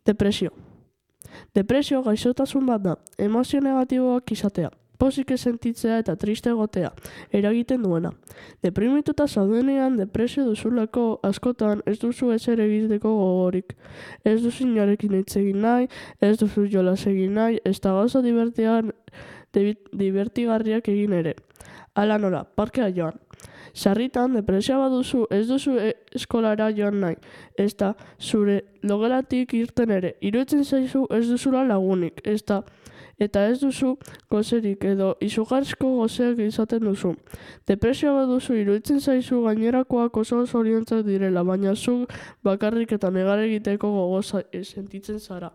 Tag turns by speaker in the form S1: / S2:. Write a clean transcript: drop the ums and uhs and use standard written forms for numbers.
S1: Depresio. Depresio gaixotasun bat da, emozio negatiboak izatea, pozik ez sentitzea eta triste egotea, eragiten duena. Deprimituta zaudenean depresio duzulako askotan ez duzu ezer egiteko gogorik. Ez duzu inorekin hitz egin nahi, ez duzu jolas egin nahi, ez da gauza divertigarriak egin ere. Hala nola, parkea joan. Sarritan, depresioa baduzu, ez duzu eskolara joan nahi, ez da zure logelatik irten ere. Iruditzen zaizu ez duzula lagunik, eta ez duzu gozerik edo izugarrizko gozeak izaten duzu. Depresioa baduzu, iruditzen zaizu gainerakoak oso zoriontzak direla, baina zuk bakarrik eta negar egiteko gogo sentitzen zara.